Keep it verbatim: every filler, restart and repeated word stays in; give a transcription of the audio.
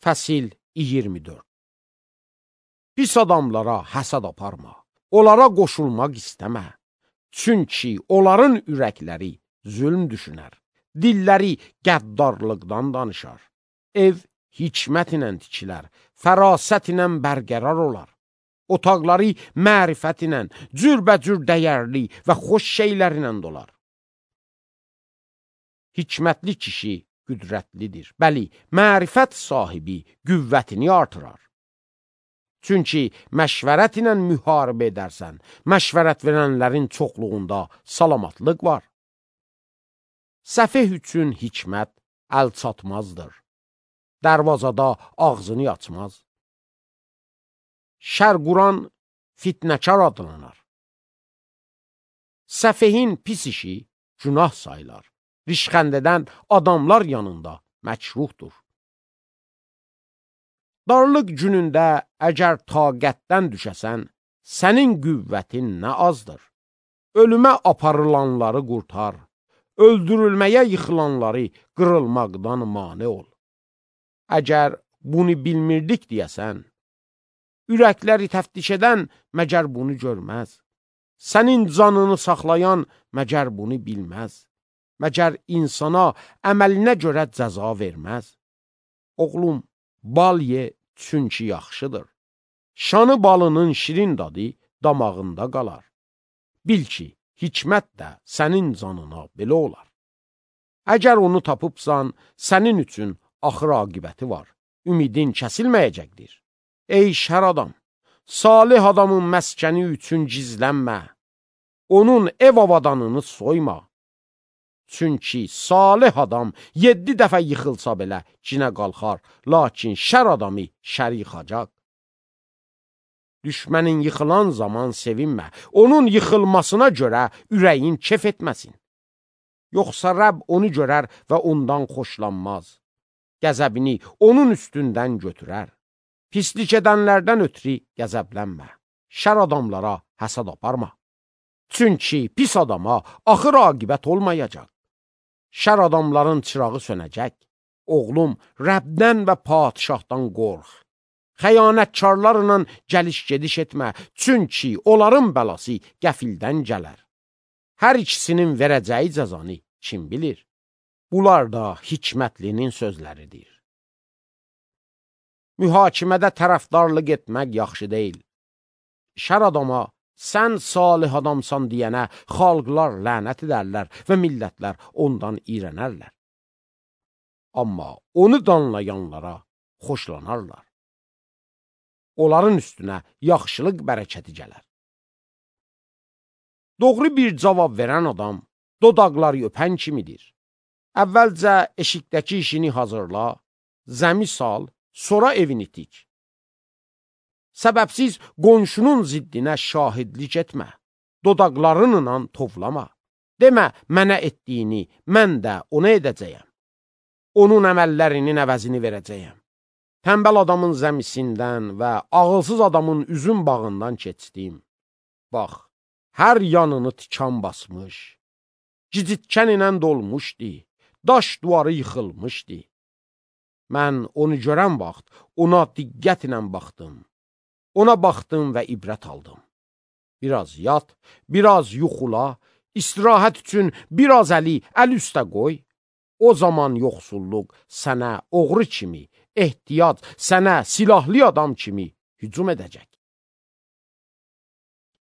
Fəsil iyirmi dörd. Pis adamlara həsəd aparma, onlara qoşulmaq istəmə. Çünki onların ürəkləri zülm düşünər, dilləri qəddarlıqdan danışar. Ev hikmət ilə tikilər, fərasət ilə bərqərar olar. Otaqları mərifət ilə, cürbəcür dəyərli və xoş şeylər ilə dolar. Hikmətli kişi qüdrətlidir. Bəli, mərifət sahibi qüvvətini artırar. Çünki məşvərət ilə müharibə edərsən, məşvərət verənlərin çoxluğunda salamatlıq var. Səfeh üçün hikmət əl çatmazdır. Dərvazada ağzını açmaz. Şər quran fitnəkar adlanar. Səfehin pis işi günah sayılar. Rişxənd edən adamlar yanında məkruhdur. Darlıq günündə əgər taqətdən düşəsən, sənin qüvvətin nə azdır. Ölümə aparılanları qurtar, öldürülməyə yıxılanları qırılmaqdan mane ol. Əgər bunu bilmirdik deyəsən, ürəkləri təftiş edən məgər bunu görməz. Sənin canını saxlayan məgər bunu bilməz. Məgər insana əməlinə görə cəza verməz. Oğlum, bal ye, çünki yaxşıdır. Şanı balının şirin dadı damağında qalar. Bil ki, hikmət də sənin canına belə olar. Əgər onu tapıbsan, sənin üçün axır aqibəti var. Ümidin kəsilməyəcəkdir. Ey şər adam, salih adamın məskəni üçün gizlənmə. Onun ev avadanını soyma. Çünki salih adam yeddi dəfə yıxılsa belə cinə qalxar, lakin şər adamı şər yıxacaq. Düşmənin yıxılan zaman sevinmə, onun yıxılmasına görə ürəyin kef etməsin. Yoxsa Rəbb onu görər və ondan xoşlanmaz. Qəzəbini onun üstündən götürər. Pislik edənlərdən ötürü qəzəblənmə. Şər adamlara həsəd aparma. Çünki pis adama axır aqibət olmayacaq. Şər adamların çırağı sönəcək. Oğlum, Rəbdən və padişahdan qorx. Xəyanətkarlarla gəliş-gediş etmə, çünki onların bəlası qəfildən gələr. Hər ikisinin verəcəyi cəzanı kim bilir? Bunlar da hikmətlinin sözləridir. Mühakimədə tərəfdarlıq etmək yaxşı deyil. Şər adama, sən salih adamsan deyənə xalqlar lənət edərlər və millətlər ondan iyrənərlər. Amma onu danlayanlara xoşlanarlar. Onların üstünə yaxşılıq bərəkəti gələr. Doğru bir cavab verən adam dodaqları öpən kimidir. Əvvəlcə eşikdəki işini hazırla, zəmi sal, sonra evini tik. Səbəbsiz qonşunun ziddinə şahidlik etmə. Dodaqlarınla tovlama. Demə, mənə etdiyini mən də ona edəcəyəm. Onun əməllərinin əvəzini verəcəyəm. Tənbəl adamın zəmisindən və ağılsız adamın üzüm bağından keçdim. Bax, hər yanını tikan basmış. Gicitkən ilə dolmuşdu. Daş duvarı yıxılmışdı. Mən onu görən vaxt ona diqqətlə baxdım. Ona baxdım və ibrət aldım. Biraz yat, biraz yuxula, istirahət üçün biraz əli əl üstə qoy. O zaman yoxsulluq sənə oğru kimi, ehtiyac sənə silahlı adam kimi hücum edəcək.